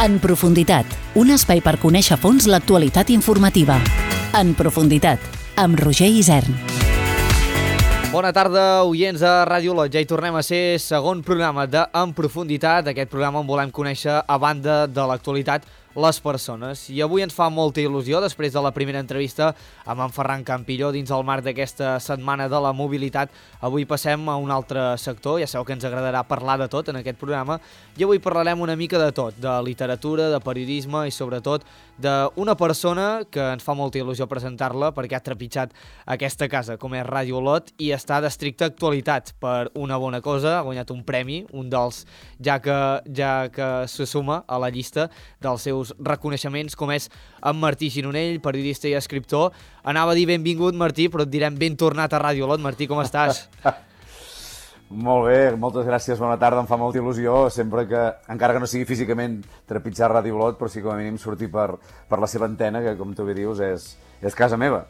En profunditat, un espai per conèixer a fons l'actualitat informativa. En profunditat, amb Roger Isern. Bona tarda, oients de Ràdio Olot. Ja hi tornem a ser segon programa de En profunditat, aquest programa on volem conèixer, a banda de l'actualitat, les persones. I avui ens fa molta il·lusió, després de la primera entrevista amb en Ferran Campilló dins el marc d'aquesta setmana de la mobilitat. Avui passem a un altre sector, ja sabeu que ens agradarà parlar de tot en aquest programa, i avui parlarem una mica de tot, de literatura, de periodisme i sobretot d'una persona que ens fa molta il·lusió presentar-la perquè ha trepitjat aquesta casa, com és Ràdio Olot, i està d'estricta actualitat per una bona cosa. Ha guanyat un premi, un dels ja que se suma a la llista dels seus reconeixements, com és en Martí Gironell, periodista i escriptor. Anava a dir benvingut, Martí, però et direm ben tornat a Ràdio Olot. Martí, com estàs? Molt bé, moltes gràcies, bona tarda, em fa molta il·lusió, sempre que, encara que no sigui físicament trepitjar Ràdio Olot, però sí com a mínim sortir per la seva antena, que com tu bé dius és casa meva.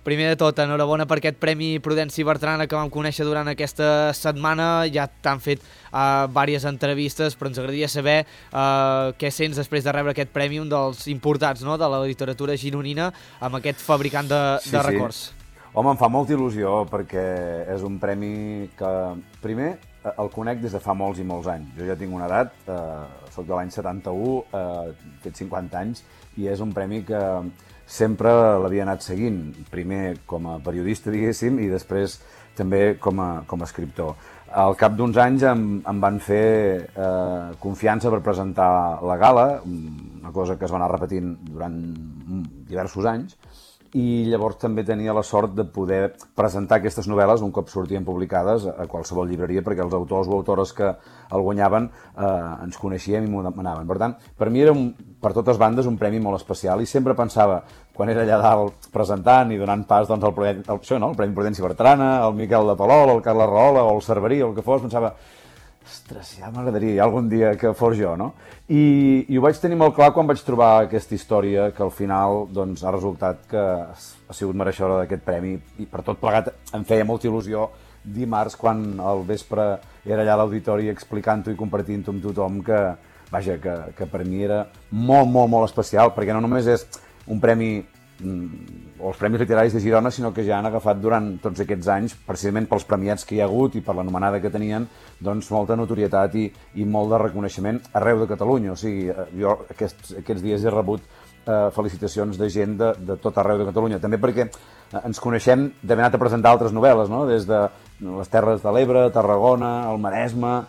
Primer de tot, enhorabona per aquest Premi Prudenci Bertrana que vam conèixer durant aquesta setmana. Ja t'han fet diverses entrevistes, però ens agradaria saber què sents després de rebre aquest premi, un dels importats, no?, de la literatura gironina, amb aquest fabricant de records. Home, em fa molta il·lusió perquè és un premi que, primer, el conec des de fa molts i molts anys. Jo ja tinc una edat, soc de l'any 71, he fet 50 anys, i és un premi que sempre l'havia anat seguint, primer com a periodista, diguéssim, i després també com a escriptor. Al cap d'uns anys em van fer confiança per presentar la gala, una cosa que es va anar repetint durant diversos anys, i llavors també tenia la sort de poder presentar aquestes novel·les un cop sortien publicades a qualsevol llibreria, perquè els autors o autores que el guanyaven ens coneixíem i m'ho demanaven. Per tant, per mi era, per totes bandes, un premi molt especial, i sempre pensava, quan era allà dalt presentant i donant pas doncs, el Premi Prudenci Bertrana, el Miquel de Palol, el Carles Rahola o el Cerverí o el que fos, pensava, ostres, ja m'agradaria algun dia que fos jo, no? I ho vaig tenir molt clar quan vaig trobar aquesta història, que al final doncs, ha resultat que ha sigut mereixedora d'aquest premi, i per tot plegat em feia molta il·lusió dimarts quan al vespre era allà a l'auditori explicant-ho i compartint-ho amb tothom, que, vaja, que per mi era molt, molt, molt especial, perquè no només és un premi o els Premis Literaris de Girona, sinó que ja han agafat durant tots aquests anys, precisament pels premiats que hi ha hagut i per l'anomenada que tenien, doncs molta notorietat i molt de reconeixement arreu de Catalunya. O sigui, jo aquests dies he rebut felicitacions de gent de tot arreu de Catalunya, també perquè ens coneixem d'haver anat a presentar altres novel·les, no? Des de les Terres de l'Ebre, Tarragona, el Maresme,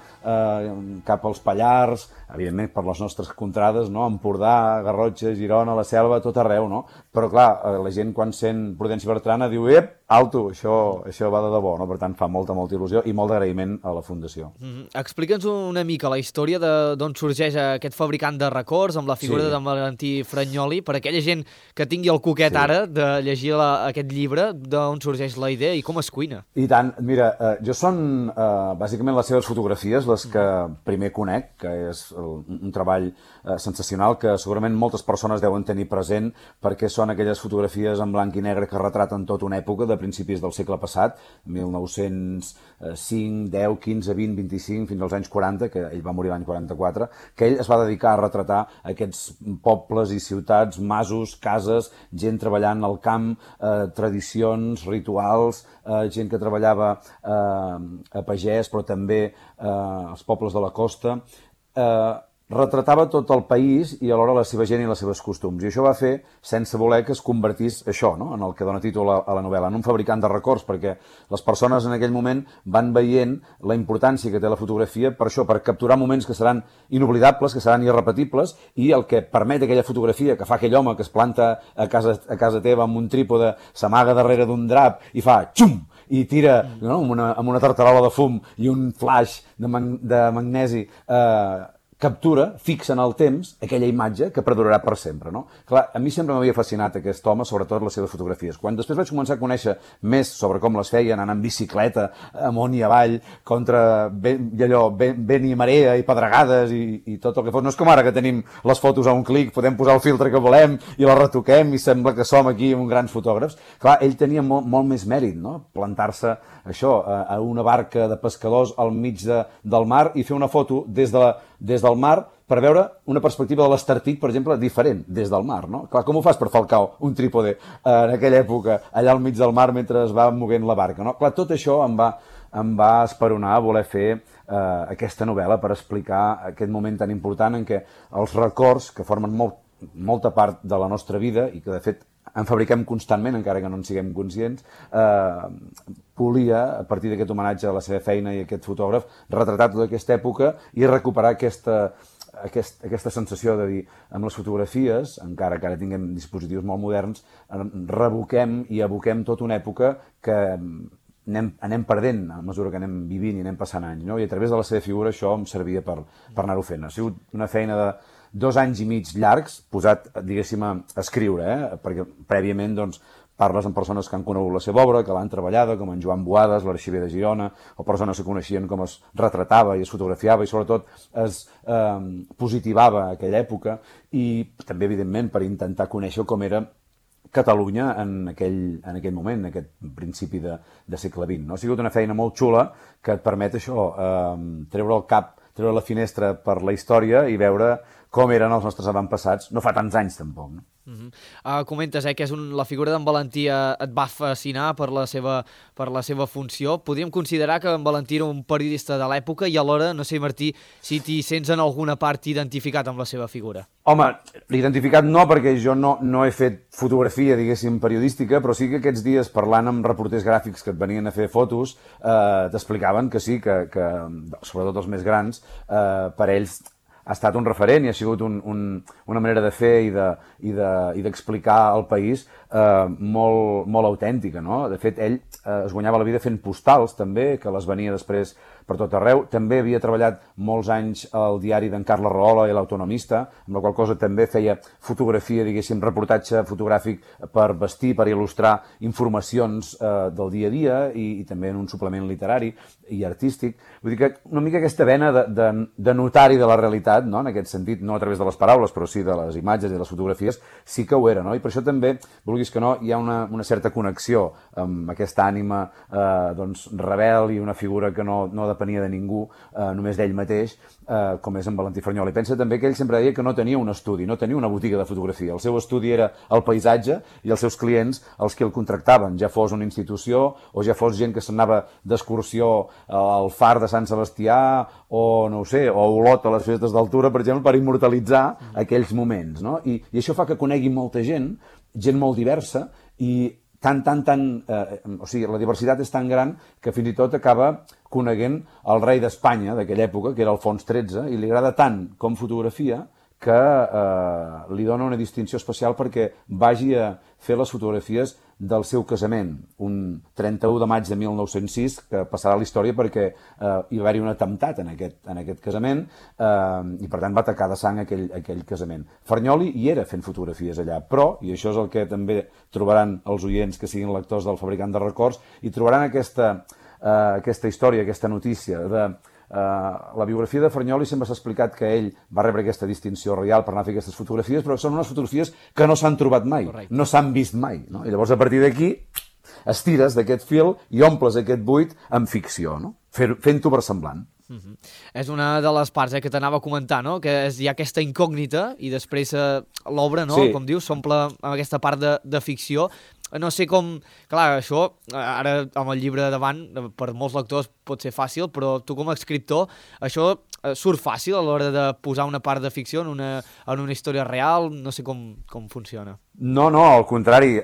cap als Pallars, evidentment per les nostres contrades, no? Empordà, Garrotxa, Girona, la Selva, tot arreu, no? Però clar, la gent quan sent Prudenci Bertrana diu, alto, això va de debò, no? Per tant, fa molta, molta il·lusió i molt d'agraïment a la Fundació. Explica'ns una mica la història d'on sorgeix aquest fabricant de records, amb la figura de Valentí Fragnoli, per aquella gent que tingui el coquet ara de llegir aquest llibre, d'on sorgeix la idea i com es cuina. I tant, mira, jo són bàsicament les seves fotografies les que primer conec, que és un treball sensacional que segurament moltes persones deuen tenir present, perquè són aquelles fotografies en blanc i negre que retraten tota una època de principis del segle passat, 1905, 10, 15, 20, 25, fins als anys 40, que ell va morir l'any 44, que ell es va dedicar a retratar aquests pobles i ciutats, masos, cases, gent treballant al camp, tradicions, rituals, gent que treballava a pagès, però també als pobles de la costa, retratava tot el país i alhora la seva gent i les seves costums. I això va fer, sense voler, que es convertís això, no?, en el que dona títol a la novel·la, en un fabricant de records, perquè les persones en aquell moment van veient la importància que té la fotografia per això, per capturar moments que seran inoblidables, que seran irrepetibles, i el que permet aquella fotografia que fa aquell home que es planta a casa teva amb un trípode, s'amaga darrere d'un drap i fa xum! I tira, no?, amb una tartarola de fum i un flash de magnesi, captura, fixa en el temps, aquella imatge que perdurarà per sempre, no? Clar, a mi sempre m'havia fascinat aquest home, sobretot les seves fotografies. Quan després vaig començar a conèixer més sobre com les feien, anant en bicicleta, amunt i avall, contra vent i marea i pedregades i tot el que fos. No és com ara que tenim les fotos a un clic, podem posar el filtre que volem i la retoquem i sembla que som aquí uns grans fotògrafs. Clar, ell tenia molt més mèrit, no?, plantar-se això, a una barca de pescadors al mig del mar i fer una foto des del mar per veure una perspectiva de l'Estartit, per exemple, diferent, des del mar, no? Clar, com ho fas per Falcao, un trípode, en aquella època, allà al mig del mar, mentre es va movent la barca, no? Clar, tot això em va esperonar a voler fer aquesta novel·la per explicar aquest moment tan important en què els records, que formen molta part de la nostra vida i que, de fet, en fabriquem constantment, encara que no en siguem conscients, volia, a partir d'aquest homenatge a la seva feina i aquest fotògraf, retratar tota aquesta època i recuperar aquesta sensació de dir, amb les fotografies, encara que ara tinguem dispositius molt moderns, revoquem i evoquem tota una època que anem perdent a mesura que anem vivint i anem passant anys, no? I a través de la seva figura això em servia per anar-ho fent. Ha sigut una feina de 2 anys i mig llargs, posat, diguéssim, a escriure, perquè prèviament, doncs, parles amb persones que han conegut la seva obra, que l'han treballada, com en Joan Boades, l'arxiver de Girona, o persones que coneixien com es retratava i es fotografiava i, sobretot, es positivava aquella època, i també, evidentment, per intentar conèixer com era Catalunya en aquell moment, en aquest principi de segle XX. No? Ha sigut una feina molt xula que et permet això, treure el cap, treure la finestra per la història i veure com eren els nostres avantpassats, no fa tants anys tampoc. No? Comentes que la figura d'en Valentí et va fascinar per la seva funció. Podríem considerar que en Valentí era un periodista de l'època i alhora, no sé, Martí, si t'hi sents en alguna part identificat amb la seva figura. Home, identificat no, perquè jo no he fet fotografia, diguéssim, periodística, però sí que aquests dies, parlant amb reporters gràfics que et venien a fer fotos, t'explicaven que sí, que sobretot els més grans, per ells ha estat un referent i ha sigut una manera de fer i d'explicar el país molt autèntica, no? De fet, ell es guanyava la vida fent postals, també, que les venia després per tot arreu. També havia treballat molts anys al diari d'en Carles Rahola i l'Autonomista, amb la qual cosa també feia fotografia, diguéssim, reportatge fotogràfic per vestir, per il·lustrar informacions del dia a dia i també en un suplement literari i artístic. Vull dir que una mica aquesta vena de notari de la realitat, no? En aquest sentit, no a través de les paraules, però sí de les imatges i de les fotografies, sí que ho era, no? I per això també, vulguis que no, hi ha una certa connexió amb aquesta ànima rebel i una figura que no depenia de ningú, només d'ell mateix, com és en Valentí Fernyol. I pensa també que ell sempre deia que no tenia un estudi, no tenia una botiga de fotografia. El seu estudi era el paisatge i els seus clients els que el contractaven, ja fos una institució o ja fos gent que s'anava d'excursió al far de Sant Sebastià o, no ho sé, o a Olot a les festes d'altura, per exemple, per immortalitzar aquells moments, no? I això fa que conegui molta gent molt diversa i o sigui, la diversitat és tan gran que fins i tot acaba coneguent el rei d'Espanya d'aquella època, que era Alfons XIII, i li agrada tant com fotografia que li dona una distinció especial perquè vagi a fer les fotografies del seu casament, un 31 de maig de 1906, que passarà a la història perquè hi va haver un atemptat en aquest casament i per tant va tacar de sang aquell casament. Fernyoli hi era fent fotografies allà, però, i això és el que també trobaran els oients que siguin lectors del Fabricant de Records, i trobaran aquesta història, aquesta notícia de la biografia de Fernyoli. Sempre s'ha explicat que ell va rebre aquesta distinció reial per anar a fer aquestes fotografies, però són unes fotografies que no s'han trobat mai, no s'han vist mai, no? I llavors a partir d'aquí estires d'aquest fil i omples aquest buit amb ficció, no? Fent-ho versemblant. És una de les parts que t'anava a comentar, no? Que hi ha aquesta incògnita i després l'obra, no? Com dius, s'omple amb aquesta part de ficció. No sé com... Clar, això, ara amb el llibre davant, per molts lectors pot ser fàcil, però tu com a escriptor, això surt fàcil a l'hora de posar una part de ficció en una història real? No sé com funciona. No, al contrari,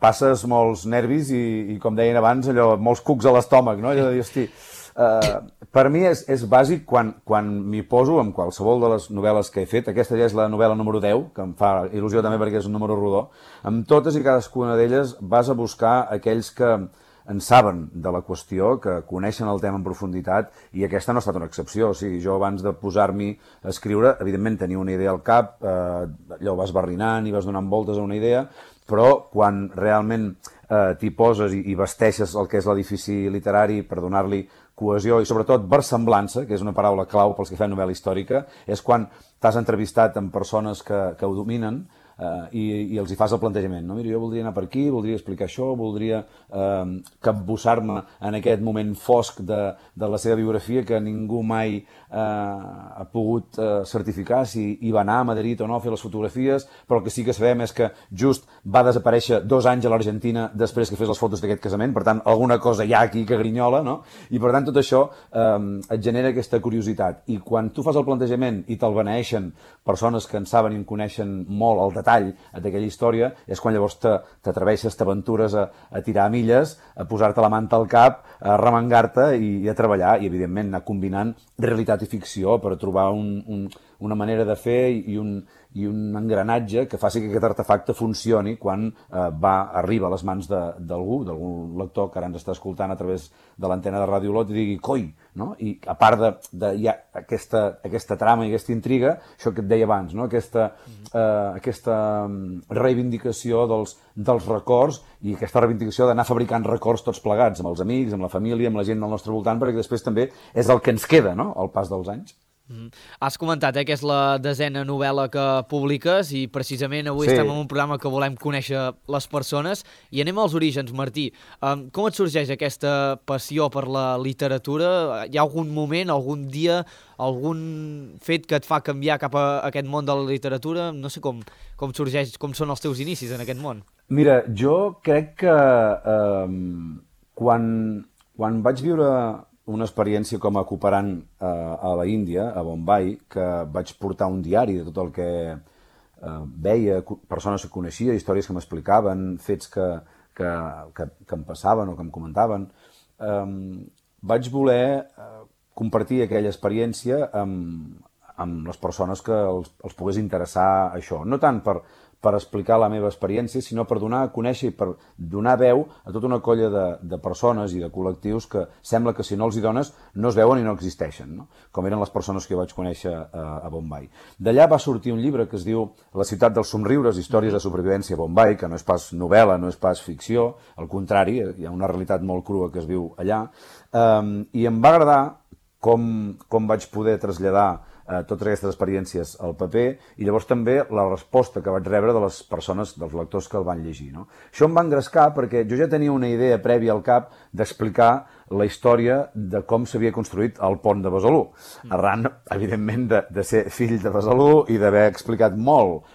passes molts nervis i com deien abans, allò, molts cucs a l'estómac, no? Allò de dir, hosti, per mi és bàsic quan m'hi poso amb qualsevol de les novel·les que he fet. Aquesta ja és la novel·la número 10, que em fa il·lusió també perquè és un número rodó. Amb totes i cadascuna d'elles vas a buscar aquells que en saben de la qüestió, que coneixen el tema en profunditat, i aquesta no ha estat una excepció. O sigui, jo abans de posar-m'hi a escriure, evidentment tenia una idea al cap, allò vas barrinant i vas donant voltes a una idea, però quan realment t'hi poses i vesteixes el que és l'edifici literari per donar-li cohesió i sobretot versemblança, que és una paraula clau pels que fan novel·la històrica, és quan t'has entrevistat amb persones que ho dominen, i els hi fas el plantejament, no? Mira, jo voldria anar per aquí, voldria explicar això, voldria capbussar-me en aquest moment fosc de la seva biografia que ningú mai ha pogut certificar si hi va anar a Madrid o no a fer les fotografies, però el que sí que sabem és que just va desaparèixer 2 anys a l'Argentina després que fes les fotos d'aquest casament, per tant, alguna cosa hi ha aquí que grinyola, no? I per tant, tot això et genera aquesta curiositat. I quan tu fas el plantejament i te'l beneeixen persones que en saben i en coneixen molt el detall d'aquella història, és quan llavors t'atreveixes, t'aventures a tirar milles, a posar-te la manta al cap, a remengar-te i a treballar, i evidentment anar combinant realitat i ficció per trobar una manera de fer i un engranatge que faci que aquest artefacte funcioni quan arriba a les mans d'algun lector que ara ens està escoltant a través de l'antena de Ràdio Olot i digui, coi, no? I a part de ja aquesta trama i aquesta intriga, això que et deia abans, no? Aquesta reivindicació dels records i aquesta reivindicació d'anar fabricant records tots plegats, amb els amics, amb la família, amb la gent del nostre voltant, perquè després també és el que ens queda, no?, al pas dels anys. Has comentat que és la 10a novel·la que publiques i precisament avui estem en un programa que volem conèixer les persones i anem als orígens, Martí. Com et sorgeix aquesta passió per la literatura? Hi ha algun moment, algun dia, algun fet que et fa canviar cap a aquest món de la literatura? No sé com sorgeix, com són els teus inicis en aquest món. Mira, jo crec que quan vaig viure una experiència com a cooperant a la Índia, a Bombay, que vaig portar un diari de tot el que veia, persones que coneixia, històries que m'explicaven, fets que em passaven o que em comentaven. Vaig voler compartir aquella experiència amb les persones que els pogués interessar això. No tant per explicar la meva experiència, sinó per donar a conèixer i per donar veu a tota una colla de persones i de col·lectius que sembla que si no els hi dones no es veuen i no existeixen, no? Com eren les persones que jo vaig conèixer a Bombay. D'allà va sortir un llibre que es diu La ciutat dels somriures, històries de supervivència a Bombay, que no és pas novel·la, no és pas ficció, al contrari, hi ha una realitat molt crua que es viu allà, i em va agradar com vaig poder traslladar totes aquestes experiències al paper i llavors també la resposta que vaig rebre de les persones, dels lectors que el van llegir, no? Això em va engrescar perquè jo ja tenia una idea prèvia al cap d'explicar la història de com s'havia construït el pont de Besalú, arran, evidentment, de ser fill de Besalú i d'haver explicat molt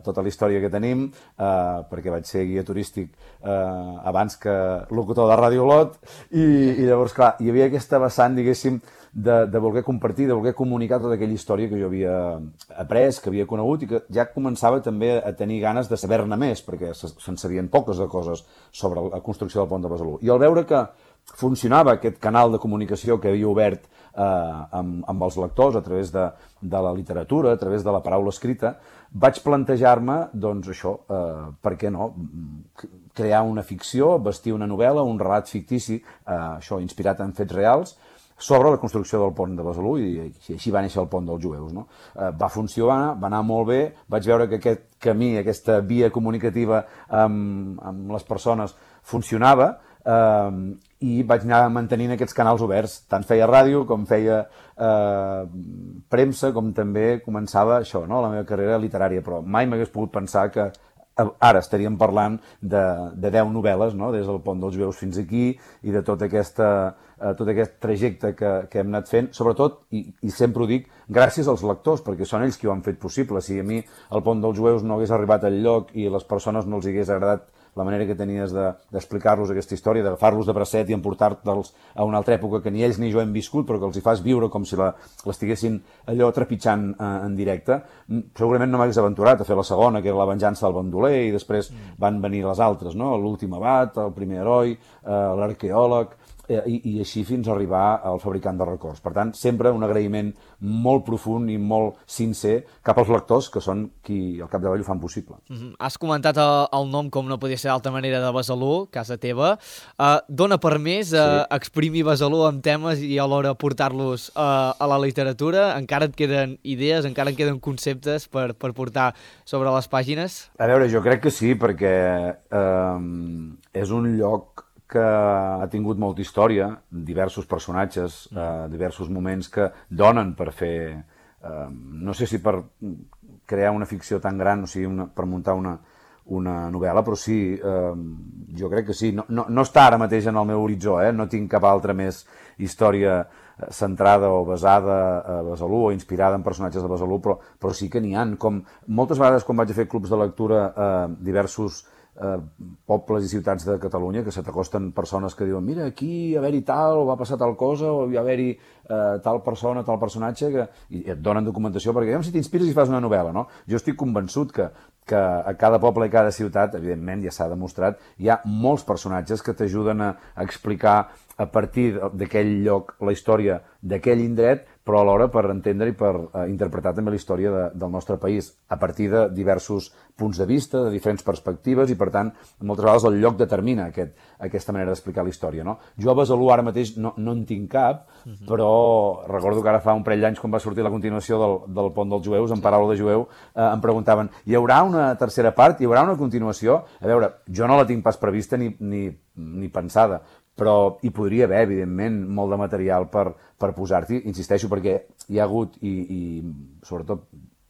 tota la història que tenim, perquè vaig ser guia turístic abans que locutor de Ràdio Olot, i llavors, clar, hi havia aquesta vessant, diguéssim, de voler compartir, de voler comunicar tota aquella història que jo havia après, que havia conegut i que ja començava també a tenir ganes de saber-ne més, perquè se'n sabien poques de coses sobre la construcció del pont de Besalú. I al veure que funcionava aquest canal de comunicació que havia obert amb els lectors a través de la literatura, a través de la paraula escrita, vaig plantejar-me, doncs això, per què no, crear una ficció, vestir una novel·la, un relat fictici, això inspirat en fets reals, sobre la construcció del pont de Besalú, i així va néixer el pont dels jueus, no? Va funcionar, va anar molt bé, vaig veure que aquest camí, aquesta via comunicativa amb les persones funcionava, i vaig anar mantenint aquests canals oberts. Tant feia ràdio com feia premsa, com també començava això, no? La meva carrera literària, però mai m'hagués pogut pensar que ara estaríem parlant de 10 novel·les, no? Des del pont dels jueus fins aquí, i de tot aquest trajecte que hem anat fent, sobretot, i sempre ho dic, gràcies als lectors, perquè són ells qui ho han fet possible. Si a mi el pont dels jueus no hagués arribat al lloc i les persones no els hagués agradat la manera que tenies d'explicar-los aquesta història, d'agafar-los de bracet i emportar-los a una altra època que ni ells ni jo hem viscut, però que els hi fas viure com si l'estiguessin allò trepitjant en directe, segurament no m'hagués aventurat a fer la segona, que era La venjança del bandoler, i després van venir les altres, no? L'últim abat, El primer heroi, L'arqueòleg, i així fins a arribar al fabricant de records. Per tant, sempre un agraïment molt profund i molt sincer cap als lectors, que són qui al capdavall ho fan possible. Has comentat el nom, com no podia ser d'altra manera, de Besalú, casa teva. Dona per més exprimir Besalú amb temes i alhora portar-los a la literatura? Encara et queden idees, encara et queden conceptes per portar sobre les pàgines? A veure, jo crec que sí, perquè és un lloc que ha tingut molta història, diversos personatges, diversos moments que donen per fer no sé si per crear una ficció tan gran, o sigui, per muntar una novel·la, però sí, jo crec que sí. No està ara mateix en el meu horitzó, no tinc cap altra més història centrada o basada a Besalú o inspirada en personatges de Besalú, però sí que n'hi ha. Com moltes vegades quan vaig a fer clubs de lectura a diversos pobles i ciutats de Catalunya, que se t'acosten persones que diuen mira, aquí haver-hi tal, o va passar tal cosa, o hi haver-hi tal persona, tal personatge, i et donen documentació, perquè si t'inspires i fas una novel·la, no? Jo estic convençut que a cada poble i cada ciutat, evidentment, ja s'ha demostrat, hi ha molts personatges que t'ajuden a explicar a partir d'aquell lloc la història d'aquell indret, però alhora per entendre i per interpretar també la història del nostre país a partir de diversos punts de vista, de diferents perspectives, i per tant, moltes vegades el lloc determina aquesta manera d'explicar la història, no? Jo a Besalú ara mateix no en tinc cap, però recordo que ara fa un parell d'anys, quan va sortir la continuació del Pont dels Jueus, en paraula de jueu, em preguntaven, hi haurà una tercera part? Hi haurà una continuació? A veure, jo no la tinc pas prevista ni pensada, però hi podria haver, evidentment, molt de material per posar-t'hi, insisteixo, perquè hi ha hagut, i sobretot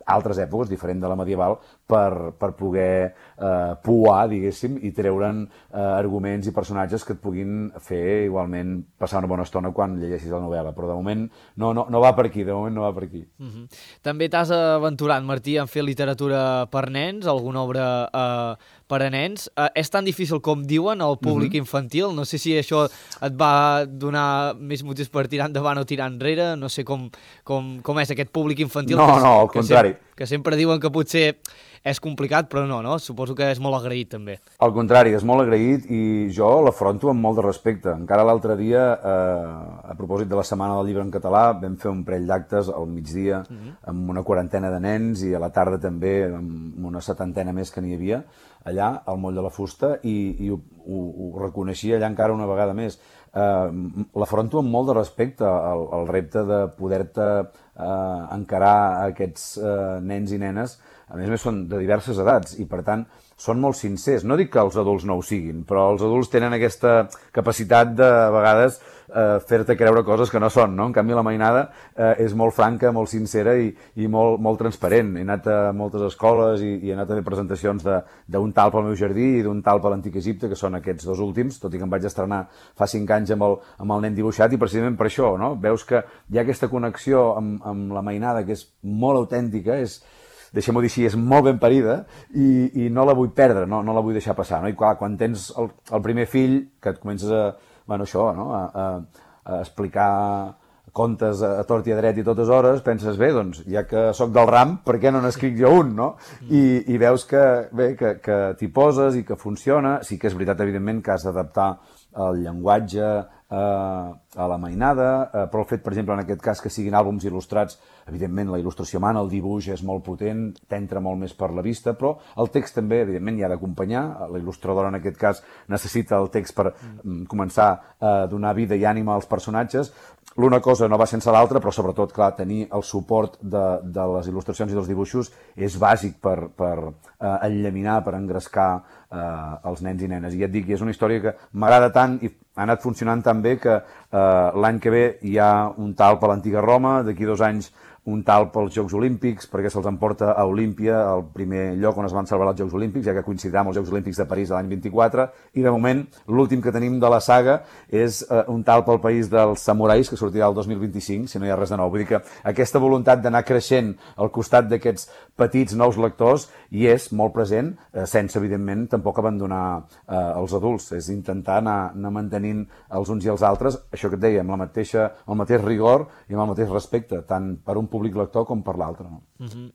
altres èpoques, diferent de la medieval, per poder pouar, diguéssim, i treure'n arguments i personatges que et puguin fer igualment passar una bona estona quan llegeixis la novel·la. Però de moment no va per aquí, de moment no va per aquí. També t'has aventurat, Martí, en fer literatura per nens, alguna obra per a nens. És tan difícil com diuen el públic infantil? No sé si això et va donar més motius per tirar endavant o tirar enrere. No sé com és aquest públic infantil. No, al contrari. Que sempre diuen que potser és complicat, però no? Suposo que és molt agraït, també. Al contrari, és molt agraït i jo l'afronto amb molt de respecte. Encara l'altre dia, a propòsit de la Setmana del Llibre en Català, vam fer un parell d'actes al migdia amb una 40 de nens i a la tarda també amb una 70 més que n'hi havia allà, al Moll de la Fusta, i ho reconeixia allà encara una vegada més. L'afronto amb molt de respecte, el repte de poder-te encarar aquests nens i nenes. A més són de diverses edats i, per tant, són molt sincers. No dic que els adults no ho siguin, però els adults tenen aquesta capacitat de, a vegades, fer-te creure coses que no són, no? En canvi, la mainada és molt franca, molt sincera i molt transparent. He anat a moltes escoles i he anat a fer presentacions d'un talp al meu jardí i d'un talp a l'Antic Egipte, que són aquests dos últims, tot i que em vaig estrenar fa 5 anys amb el nen dibuixat, i precisament per això, no? Veus que hi ha aquesta connexió amb la mainada que és molt autèntica, deixem-ho dir així, és molt ben parida i no la vull perdre, no la vull deixar passar, no? I clar, quan tens el primer fill, que et comences a explicar contes a tort i a dret i totes hores, penses, bé, doncs, ja que sóc del ram, per què no n'escric jo un, no? I veus que t'hi poses i que funciona. Sí que és veritat, evidentment, que has d'adaptar el llenguatge a la mainada, però el fet, per exemple, en aquest cas, que siguin àlbums il·lustrats, evidentment, la il·lustració mana, el dibuix és molt potent, t'entra molt més per la vista, però el text també, evidentment, hi ha d'acompanyar. La il·lustradora, en aquest cas, necessita el text per començar a donar vida i ànima als personatges. L'una cosa no va sense l'altra, però sobretot, clar, tenir el suport de les il·lustracions i dels dibuixos és bàsic per enllaminar, per engrescar els nens i nenes. I ja et dic, és una història que m'agrada tant i ha anat funcionant tan bé que l'any que ve hi ha un talp a l'antiga Roma, d'aquí 2 anys un talp als Jocs Olímpics, perquè se'ls emporta a Olímpia, el primer lloc on es van celebrar els Jocs Olímpics, ja que coincidirà amb els Jocs Olímpics de París de l'any 24, i de moment l'últim que tenim de la saga és un talp al país dels samurais, que sortirà el 2025, si no hi ha res de nou. Vull dir que aquesta voluntat d'anar creixent al costat d'aquests petits nous lectors hi és molt present, sense, evidentment, tampoc abandonar els adults. És intentar anar mantenint els uns i els altres, això que et deia, amb el mateix rigor i amb el mateix respecte, tant per un públic lector com per l'altre. No?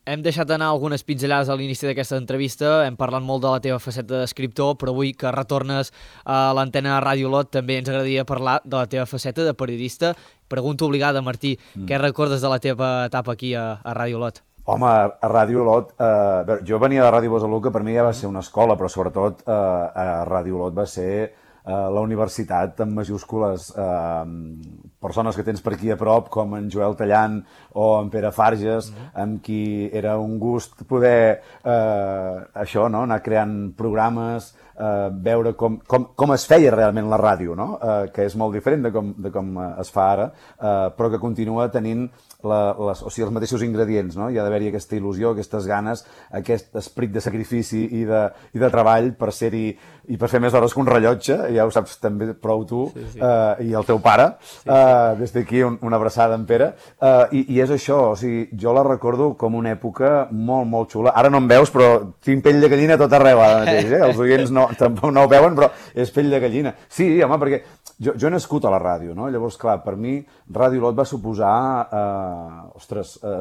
Hem deixat anar algunes pinzellades a l'inici d'aquesta entrevista, hem parlat molt de la teva faceta d'escriptor, però avui que retornes a l'antena de Ràdio Lot també ens agradaria parlar de la teva faceta de periodista. Pregunta obligada, Martí, què recordes de la teva etapa aquí a Ràdio Lot? Home, a Ràdio Lot, jo venia de Ràdio Besalú, que per mi ja va ser una escola, però sobretot a Ràdio Lot va ser la universitat amb majúscules, persones que tens per aquí a prop, com en Joel Tallant o en Pere Farges, amb qui era un gust poder anar creant programes, veure com es feia realment la ràdio, no? Que és molt diferent de com es fa ara, però que continua tenint els mateixos ingredients, no? Hi ha d'haver-hi aquesta il·lusió, aquestes ganes, aquest esperit de sacrifici i de treball per ser-hi i per fer més hores que un rellotge, ja ho saps també prou tu, i el teu pare. Des d'aquí una abraçada en Pere. I és això, o sigui, jo la recordo com una època molt, molt xula. Ara no em veus, però tinc pell de gallina a tot arreu ara mateix, Els oients tampoc no ho veuen, però és pell de gallina. Sí, home, perquè jo he nascut a la ràdio, no? Llavors, clar, per mi Ràdio Olot va suposar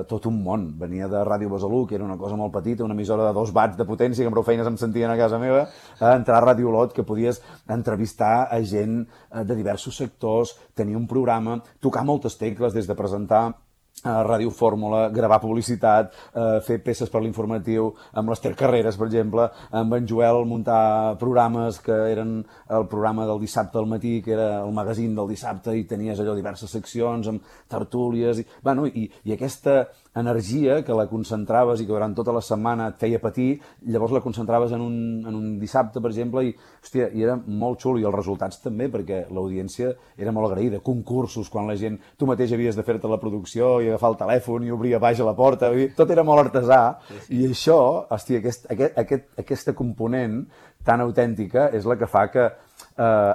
tot un món. Venia de Ràdio Besalú, que era una cosa molt petita, una emissora de 2 watts de potència, que amb prou feines em sentien a casa meva, a entrar a Ràdio Olot, que podies entrevistar a gent de diversos sectors, tenir un programa, tocar moltes tecles, des de presentar Ràdio Fórmula, gravar publicitat, fer peces per l'informatiu, amb l'Ester Carreras, per exemple, amb en Joel muntar programes que eren el programa del dissabte al matí, que era el magazín del dissabte, i tenies allò diverses seccions amb tertúlies, i aquesta energia que la concentraves i que durant tota la setmana et feia patir, llavors la concentraves en un dissabte, per exemple, i era molt xulo, i els resultats també, perquè l'audiència era molt agraïda, concursos, quan la gent, tu mateix havies de fer-te la producció i agafar el telèfon i obrir a baix a la porta, tot era molt artesà, i això, hòstia, aquesta component tan autèntica és la que fa que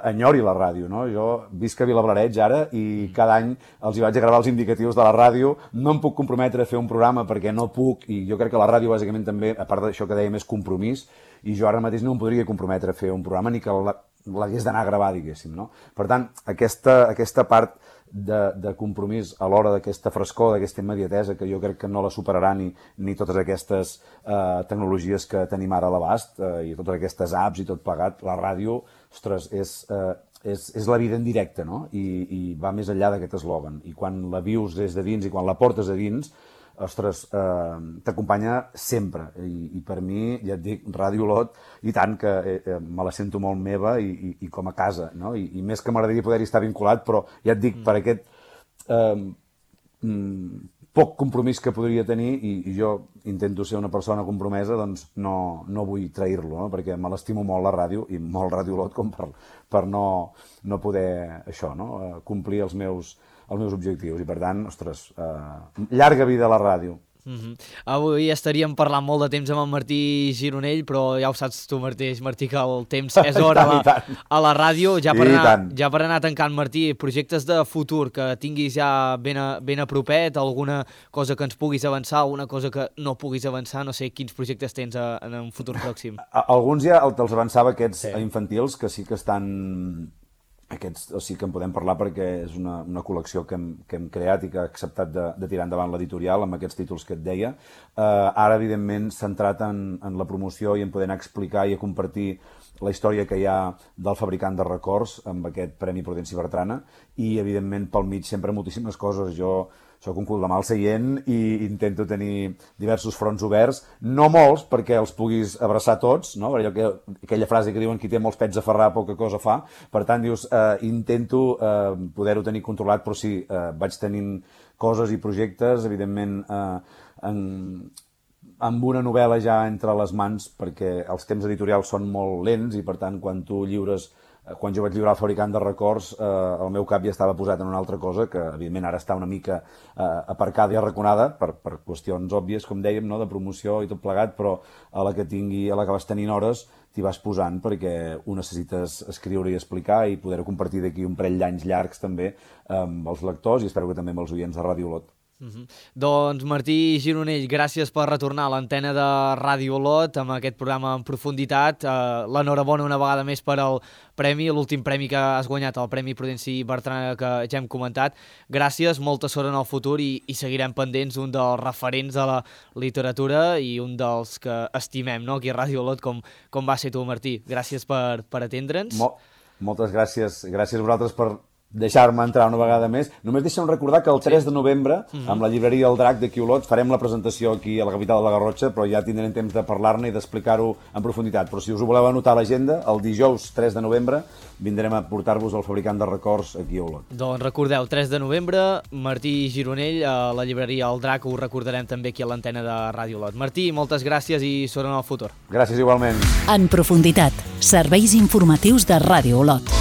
enyori la ràdio, no? Jo visc a Vilablareix ara i cada any els hi vaig a gravar els indicatius de la ràdio, no em puc comprometre a fer un programa perquè no puc, i jo crec que la ràdio bàsicament també, a part d'això que dèiem, és compromís, i jo ara mateix no em podria comprometre a fer un programa ni que l'hagués d'anar a gravar, diguéssim, no? Per tant, aquesta part de compromís a l'hora d'aquesta frescor, d'aquesta immediatesa, que jo crec que no la superarà ni totes aquestes tecnologies que tenim ara a l'abast, i totes aquestes apps i tot plegat, la ràdio, ostres, és la vida en directe, no? I va més enllà d'aquest eslògan. I quan la vius des de dins i quan la portes a dins, ostres, t'acompanya sempre. I per mi, ja et dic, Ràdio Olot, i tant que me la sento molt meva i com a casa, no? I més que m'agradaria poder-hi estar vinculat, però ja et dic, per aquest poc compromís que podria tenir, i jo intento ser una persona compromesa, doncs no vull trair-lo, no? Perquè me l'estimo molt la ràdio, i molt Ràdio Olot, com per no poder, això, no? Complir els meus objectius, i per tant, ostres, llarga vida a la ràdio. Avui estaríem parlant molt de temps amb en Martí Gironell, però ja ho saps tu mateix, Martí, que el temps és hora a la ràdio. Ja per anar tancant, Martí, projectes de futur que tinguis ja ben a propet, alguna cosa que ens puguis avançar, alguna cosa que no puguis avançar, no sé quins projectes tens en un futur pròxim. Alguns ja te'ls avançava, aquests infantils, que sí que estan... Aquests sí que en podem parlar perquè és una col·lecció que hem creat i que ha acceptat de tirar endavant l'editorial amb aquests títols que et deia. Ara, evidentment, centrat en la promoció i en poder anar a explicar i a compartir la història que hi ha del fabricant de records amb aquest Premi Prudenci Bertrana, i, evidentment, pel mig sempre moltíssimes coses. Jo soc un cul de mal seient i intento tenir diversos fronts oberts, no molts perquè els puguis abraçar tots, no? Aquella frase que diuen qui té molts pets a ferrar poca cosa fa, per tant dius, intento poder-ho tenir controlat, però sí, vaig tenint coses i projectes, evidentment amb una novel·la ja entre les mans, perquè els temps editorials són molt lents i per tant quan jo vaig lliurar el fabricant de records, el meu cap ja estava posat en una altra cosa que, evidentment, ara està una mica aparcada i arraconada per qüestions òbvies, com dèiem, no? De promoció i tot plegat, però a la que vas tenint hores t'hi vas posant perquè ho necessites escriure i explicar i poder-ho compartir d'aquí un parell d'anys llargs també amb els lectors i espero que també amb els oients de Ràdio Olot. Doncs Martí Gironell, gràcies per retornar a l'antena de Ràdio Olot amb aquest programa en profunditat. L'enhorabona una vegada més per al premi, l'últim premi que has guanyat, el Premi Prudenci Bertrana, que ja hem comentat. Gràcies, molta sort en el futur i seguirem pendents, un dels referents de la literatura i un dels que estimem, no? Aquí a Ràdio Olot, com va ser tu, Martí. Gràcies per atendre'ns. Moltes gràcies. Gràcies a vosaltres per deixar-me entrar una vegada més. Només deixa'm recordar que el 3 de novembre, amb la llibreria El Drac d'aquí Olot, farem la presentació aquí a la capital de la Garrotxa, però ja tindrem temps de parlar-ne i d'explicar-ho en profunditat. Però si us ho voleu anotar a l'agenda, el dijous 3 de novembre vindrem a portar-vos el fabricant de records aquí a Olot. Doncs recordeu, 3 de novembre, Martí Gironell, a la llibreria El Drac, ho recordarem també aquí a l'antena de Ràdio Olot. Martí, moltes gràcies i sort en el futur. Gràcies igualment. En profunditat, serveis informatius de Ràdio Olot.